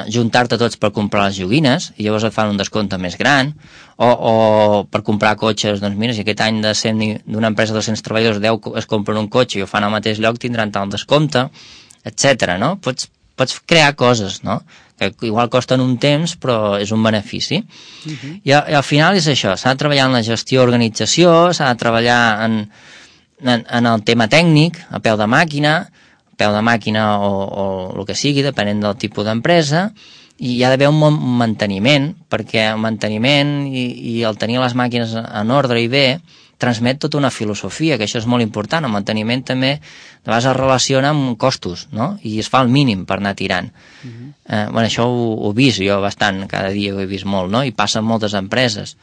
juntar-te tots per comprar les joguines i llavors et fan un descompte més gran, o per comprar cotxes, doncs mira, si aquest any d'una empresa de 200 treballadors 10 es compren un cotxe i ho fan al mateix lloc, tindran tal descompte, etc. No? Pots crear coses, no? Que igual costen un temps, però és un benefici. I al final és això, s'ha de treballar en la gestió organització, s'ha de treballar en el tema tècnic, a peu de màquina o el que sigui, depenent del tipus d'empresa, i hi ha d'haver un manteniment, perquè el manteniment i el tenir les màquines en ordre i bé transmet tota una filosofia, que això és molt important. El manteniment també de vegades es relaciona amb costos, no? I es fa el mínim per anar tirant. Això ho he vist jo bastant, cada dia ho he vist molt, no? I passa en moltes empreses.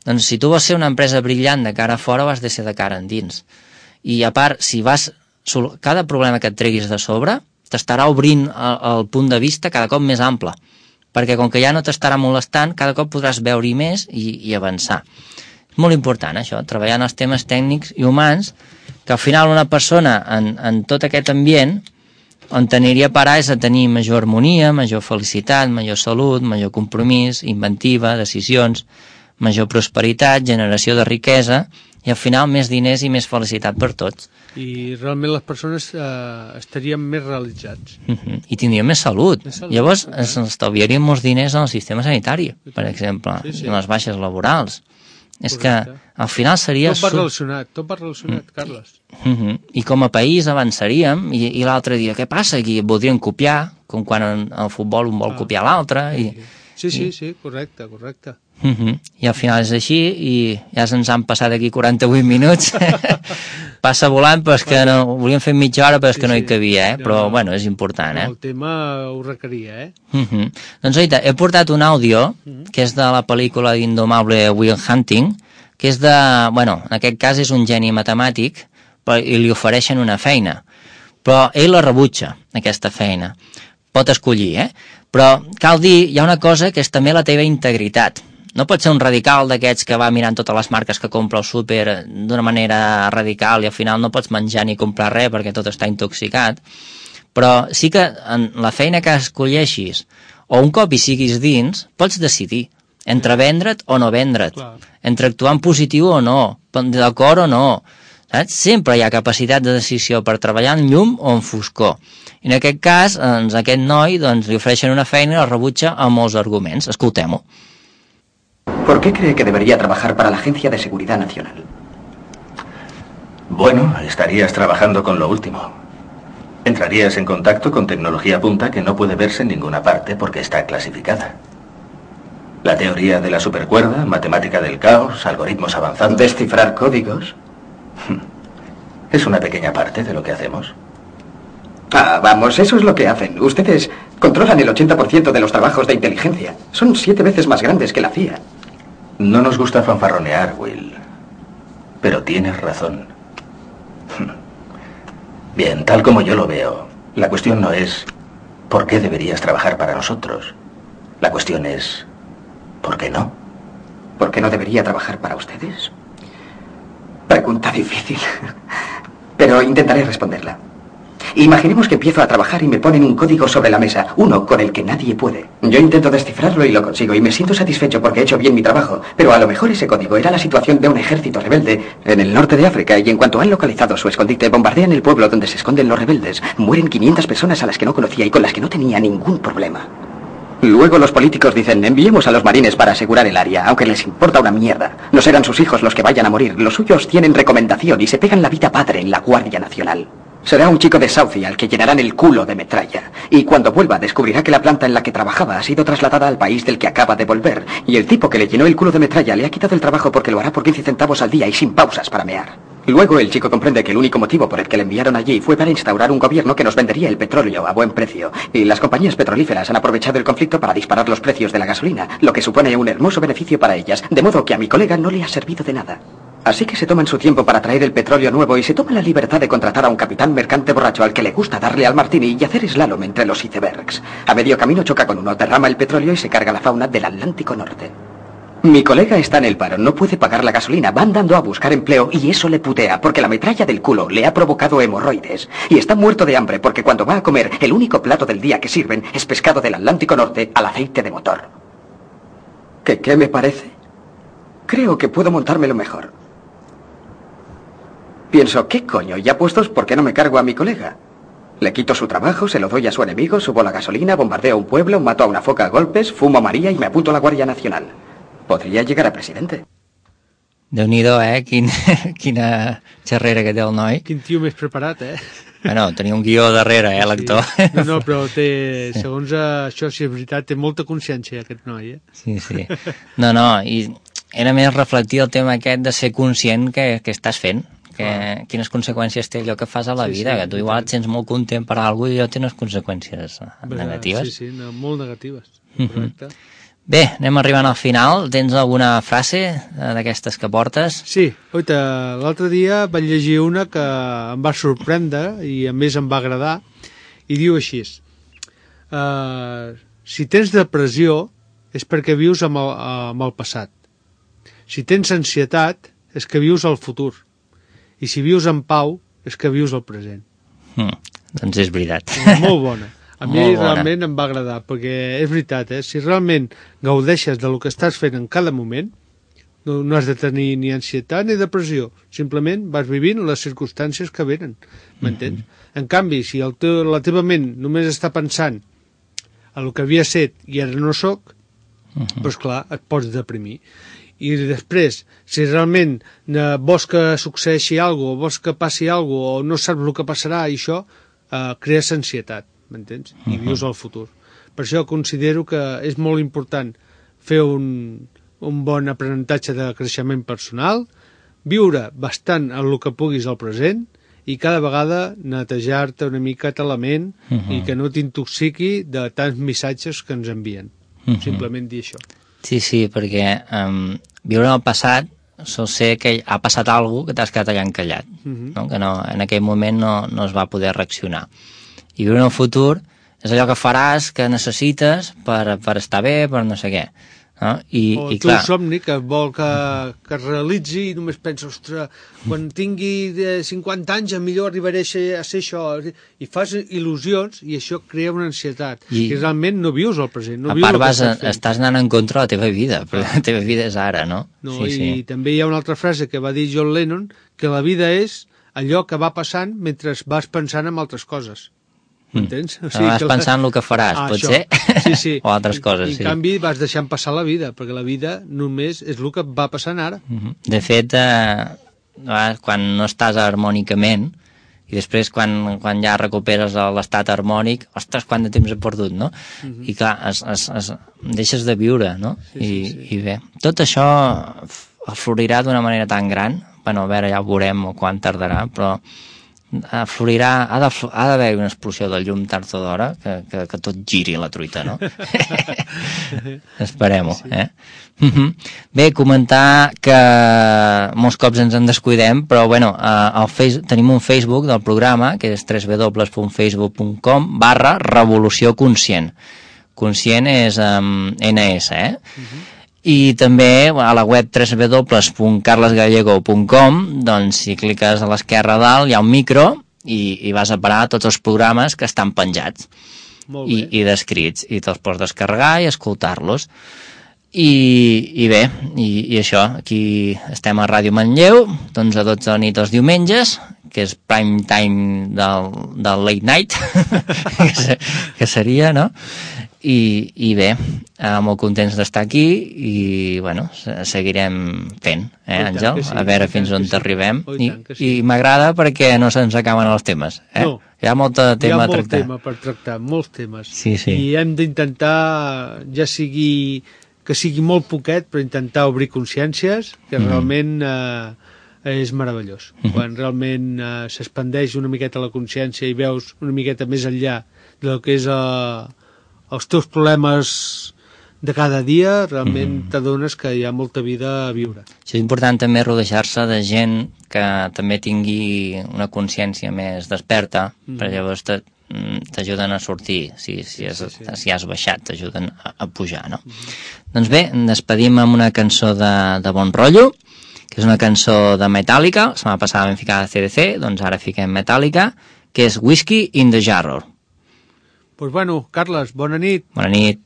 Doncs si tu vols ser una empresa brillant de cara a fora, ho has de ser de cara endins. I a part, si cada problema que et treguis de sobre t'estarà obrint el punt de vista cada cop més ample, perquè com que ja no t'estarà molestant, cada cop podràs veure-hi més i avançar. És molt important això, treballar en els temes tècnics i humans, que al final una persona en tot aquest ambient on t'aniria a parar és a tenir major harmonia, major felicitat, major salut, major compromís, inventiva, decisions, major prosperitat, generació de riquesa, i al final més diners i més felicitat per tots. I realment les persones estarien més realitzats. I tindrien més salut. Llavors estalviarien molts diners en el sistema sanitari, per exemple, i en les baixes laborals. És que al final seria... Tot va relacionat, Carles. I com a país avançaríem, i l'altre dia, què passa aquí? Voldrien copiar, com quan al futbol un vol copiar l'altre. Sí, correcte. I al final és així, i ja se'ns han passat aquí 48 minuts. Passa volant, però és que no, ho volíem fer mitja hora, però és que no hi cabia, però bueno, és important. El tema ho requeria, Doncs oita, he portat un àudio, que és de la pel·lícula d'Indomable Will Hunting, que és en aquest cas és un geni matemàtic, i li ofereixen una feina, però ell la rebutja, aquesta feina. Pot escollir, però cal dir, hi ha una cosa que és també la teva integritat. No pot ser un radical d'aquests que va mirant totes les marques que compra al súper d'una manera radical i al final no pots menjar ni comprar res perquè tot està intoxicat, però sí que en la feina que escolleixis o un cop hi siguis dins, pots decidir entre vendre't o no vendre't, entre actuar en positiu o no, d'acord o no, saps? Sempre hi ha capacitat de decisió per treballar en llum o en foscor. I en aquest cas, aquest noi li ofereixen una feina i la rebutja amb molts arguments. Escoltem-ho. ¿Por qué cree que debería trabajar para la Agencia de Seguridad Nacional? Bueno, estarías trabajando con lo último. Entrarías en contacto con tecnología punta que no puede verse en ninguna parte porque está clasificada. La teoría de la supercuerda, matemática del caos, algoritmos avanzados... ¿Descifrar códigos? Es una pequeña parte de lo que hacemos. Vamos, eso es lo que hacen. Ustedes controlan el 80% de los trabajos de inteligencia. Son 7 veces más grandes que la CIA. No nos gusta fanfarronear, Will. Pero tienes razón. Bien, tal como yo lo veo, la cuestión no es ¿por qué deberías trabajar para nosotros? La cuestión es ¿por qué no? ¿Por qué no debería trabajar para ustedes? Pregunta difícil. Pero intentaré responderla. Imaginemos que empiezo a trabajar y me ponen un código sobre la mesa, uno con el que nadie puede. Yo intento descifrarlo y lo consigo y me siento satisfecho porque he hecho bien mi trabajo, pero a lo mejor ese código era la situación de un ejército rebelde en el norte de África y en cuanto han localizado su escondite, bombardean el pueblo donde se esconden los rebeldes. Mueren 500 personas a las que no conocía y con las que no tenía ningún problema. Luego los políticos dicen, enviemos a los marines para asegurar el área, aunque les importa una mierda. No serán sus hijos los que vayan a morir, los suyos tienen recomendación y se pegan la vida padre en la Guardia Nacional. Será un chico de Southie al que llenarán el culo de metralla. Y cuando vuelva descubrirá que la planta en la que trabajaba ha sido trasladada al país del que acaba de volver. Y el tipo que le llenó el culo de metralla le ha quitado el trabajo porque lo hará por 15 centavos al día y sin pausas para mear. Luego el chico comprende que el único motivo por el que le enviaron allí fue para instaurar un gobierno que nos vendería el petróleo a buen precio. Y las compañías petrolíferas han aprovechado el conflicto para disparar los precios de la gasolina, lo que supone un hermoso beneficio para ellas, de modo que a mi colega no le ha servido de nada. Así que se toman su tiempo para traer el petróleo nuevo y se toman la libertad de contratar a un capitán mercante borracho al que le gusta darle al martini y hacer slalom entre los icebergs. A medio camino choca con uno, derrama el petróleo y se carga la fauna del Atlántico Norte. Mi colega está en el paro, no puede pagar la gasolina, va andando a buscar empleo y eso le putea porque la metralla del culo le ha provocado hemorroides. Y está muerto de hambre porque cuando va a comer el único plato del día que sirven es pescado del Atlántico Norte al aceite de motor. ¿Qué me parece? Creo que puedo montármelo mejor. Pienso, ¿qué coño? Ya puestos, ¿por qué no me cargo a mi colega? Le quito su trabajo, se lo doy a su enemigo, subo la gasolina, bombardeo un pueblo, mato a una foca a golpes, fumo a María y me apunto a la Guardia Nacional. Podria llegar a presidente. Déu-n'hi-do, quina xerrera que té el noi. Quin tio més preparat, Bueno, tenia un guió darrere, l'actor. Sí. No, però té, segons això, si és veritat, té molta consciència, aquest noi, Sí. No, i era més reflectir el tema aquest de ser conscient que estàs fent, quines conseqüències té allò que fas a la vida, que tu igual et sents molt content per alguna cosa i allò té unes conseqüències negatives. Sí, molt negatives, correcte. Bé, anem arribant al final. Tens alguna frase d'aquestes que portes? Sí, oita, l'altre dia vaig llegir una que em va sorprendre i a més em va agradar i diu així: si tens depressió és perquè vius amb el passat. Si tens ansietat és que vius el futur. I si vius en pau és que vius el present. Doncs és veritat. Molt bona. A mi realment em va agradar, perquè és veritat, si realment gaudeixes del que estàs fent en cada moment, no has de tenir ni ansietat ni depressió, simplement vas vivint les circumstàncies que venen, m'entens? En canvi, si la teva ment només està pensant en el que havia set i ara no soc, doncs clar, et pots deprimir. I després, si realment vols que succeeixi alguna cosa, vols que passi alguna cosa, o no saps el que passarà, i això crees ansietat, m'entens? I vius el futur. Per això considero que és molt important fer un bon aprenentatge de creixement personal, viure bastant en el que puguis al present i cada vegada netejar-te una mica la ment i que no t'intoxiqui de tants missatges que ens envien. Simplement dir això. Sí, perquè viure en el passat sol ser que ha passat alguna cosa que t'has quedat allà encallat, que en aquell moment no es va poder reaccionar. I viure en el futur és allò que faràs, que necessites per estar bé, per no sé què. O el teu somni que vol que es realitzi i només penses, ostres, quan tingui 50 anys millor arribaré a ser això, i fas il·lusions i això crea una ansietat i realment no vius el present, no vius el que estàs fent. Estàs anant en contra de la teva vida, però la teva vida és ara, no? I també hi ha una altra frase que va dir John Lennon, que la vida és allò que va passant mentre vas pensant en altres coses. M'entens? Vas pensant el que faràs, potser? Sí. O altres coses, sí. En canvi, vas deixant passar la vida, perquè la vida només és el que va passant ara. De fet, quan no estàs harmònicament, i després quan ja recuperes l'estat harmònic, ostres, quant de temps he perdut, no? I clar, deixes de viure, no? I bé, tot això florirà d'una manera tan gran, bueno, a veure, ja ho veurem quan tardarà, però florirà, ha d'haver una explosió del llum tard o d'hora que tot giri la truita, no? Esperem-ho, Bé, comentar que molts cops ens en descuidem, però bueno, tenim un Facebook del programa, que és www.facebook.com/Revolució Conscient. Conscient és NS, I també a la web www.carlesgallego.com, doncs si cliques a l'esquerra dalt hi ha un micro i vas a parar tots els programes que estan penjats i descrits, i te'ls pots descarregar i escoltar-los. I bé, i això, aquí estem a Ràdio Manlleu, d'11 a 12 de la nit els diumenges, que és prime time del late night, que seria, no? I bé, molt contents d'estar aquí i, bueno, seguirem fent, Àngel? A veure fins on t'arribem. I m'agrada perquè no se'ns acaben els temes, No. Hi ha molt tema a tractar. Hi ha molt tema per tractar, molts temes. Sí. I hem d'intentar, que sigui molt poquet, però intentar obrir consciències, que realment és meravellós. Quan realment s'expandeix una miqueta la consciència i veus una miqueta més enllà del que és els teus problemes de cada dia, realment t'adones que hi ha molta vida a viure. Sí, és important també rodejar-se de gent que també tingui una consciència més desperta, perquè llavors t'ajuden a sortir, si has baixat, t'ajuden a pujar, no? Doncs bé, despedim amb una cançó de bon rotllo, que és una cançó de Metallica. La setmana passada vam ficar CDC, doncs ara fiquem Metallica, que és Whiskey in the Jar. Doncs bueno, Carles, bona nit. Bona nit.